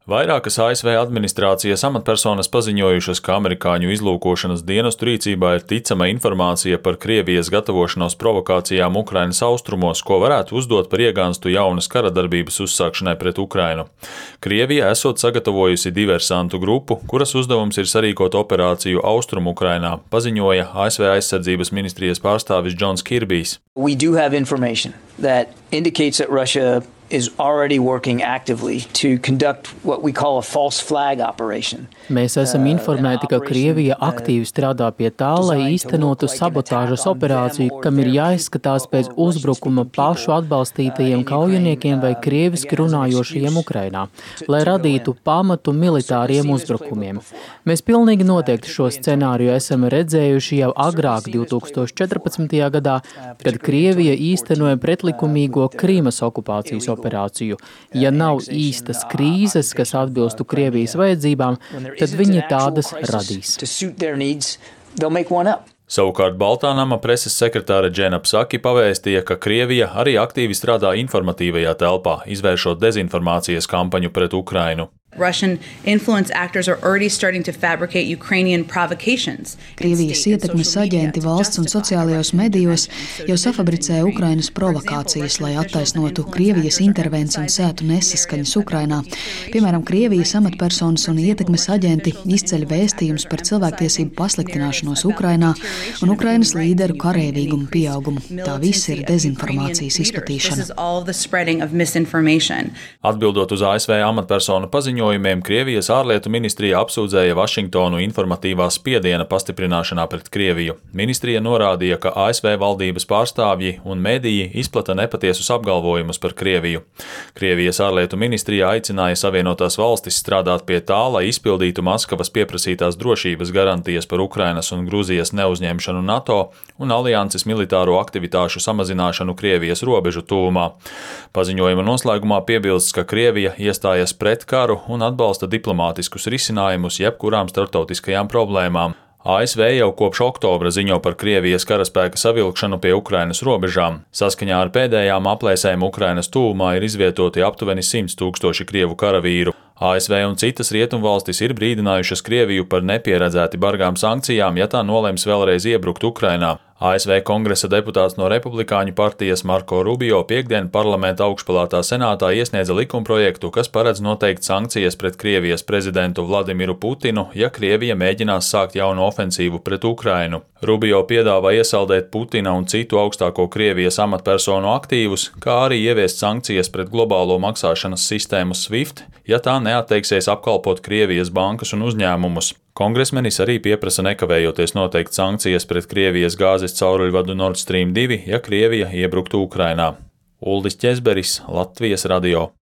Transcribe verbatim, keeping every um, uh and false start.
Vairākas A S V administrācijas amatpersonas paziņojušas, ka amerikāņu izlūkošanas dienestu rīcībā ir ticama informācija par Krievijas gatavošanos provokācijām Ukrainas austrumos, ko varētu uzdot par iegānstu jaunas karadarbības uzsākšanai pret Ukrainu. Krievija esot sagatavojusi diversantu grupu, kuras uzdevums ir sarīkot operāciju Austrumu Ukrainā, paziņoja A S V aizsardzības ministrijas pārstāvis Džons Kirbijs. We do have information that indicates that Russia is already working actively to conduct what we call a false flag operation. Mēs esam informēti, ka Krievija aktīvi strādā pie tā, lai īstenotu sabotāžas operāciju, kam ir jāizskatās pēc uzbrukuma pašu atbalstītajiem kaujiniekiem vai krieviski runājošajiem Ukrainā, lai radītu pamatu militāriem uzbrukumiem. Mēs pilnīgi noteikti šo scenāriju esam redzējuši jau agrāk divs tūkstoš četrpadsmitajā gadā, kad Krievija īstenoja pretlikumīgo Krīmas okupācijas operāciju. Ja nav īstas krīzes, kas atbilstu Krievijas vajadzībām, tad viņi tādas radīs. Savukārt Baltānama preses sekretāre Džena Psaki pavēstīja, ka Krievija arī aktīvi strādā informatīvajā telpā, izvēršot dezinformācijas kampaņu pret Ukrainu. Russian influence actors are already starting to fabricate Ukrainian provocations. Krievijas ietekmes aģenti valsts un sociālajos medijos jau safabricē Ukrainas provokācijas, lai attaisnotu Krievijas intervenciju un sētu nesaskaņas Ukrainā. Piemēram, Krievijas amatpersonas un ietekmes aģenti izceļ vēstījumus par cilvēktiesību pasliktināšanos Ukrainā un Ukrainas līderu kareivīgumu pieaugumu. Tā viss ir dezinformācijas izplatīšana. Atbildot uz A S V amatpersonu paziņojumu, Krievijas ārlietu ministrija apsūdzēja Vašingtonu informatīvā spiediena pastiprināšanā pret Krieviju. Ministrija norādīja, ka A S V valdības pārstāvji un mediji izplata nepatiesus apgalvojumus par Krieviju. Krievijas ārlietu ministrija aicināja Savienotās valstis strādāt pie tā, lai izpildītu Maskavas pieprasītās drošības garantijas par Ukrainas un Gruzijas neuzņemšanu NATO un alianses militāro aktivitāšu samazināšanu Krievijas robežu tuvumā. Paziņojuma noslēgumā piebilsts, ka Krievija iestājas pret karu un atbalsta diplomātiskus risinājumus jebkurām starptautiskajām problēmām. A S V jau kopš oktobra ziņo par Krievijas karaspēka savilkšanu pie Ukrainas robežām. Saskaņā ar pēdējām aplēsēm Ukrainas tuvumā ir izvietoti aptuveni simts tūkstoši krievu karavīru. A S V un citas rietumvalstis ir brīdinājušas Krieviju par nepieredzēti bargām sankcijām, ja tā nolems vēlreiz iebrukt Ukrainā. A S V kongresa deputāts no Republikāņu partijas Marko Rubio piekdien parlamenta augšpalātā senātā iesniedza likumprojektu, kas paredz noteikt sankcijas pret Krievijas prezidentu Vladimiru Putinu, ja Krievija mēģinās sākt jaunu ofensīvu pret Ukrainu. Rubio piedāvā iesaldēt Putina un citu augstāko Krievijas amatpersonu aktīvus, kā arī ieviest sankcijas pret globālo maksāšanas sistēmu SWIFT, ja tā neatteiksies apkalpot Krievijas bankas un uzņēmumus. Kongresmenis arī pieprasa nekavējoties noteikt sankcijas pret Krievijas gāzes cauruļvadu Nord Stream divi, ja Krievija iebruktu Ukrainā. Uldis Ķezberis, Latvijas radio.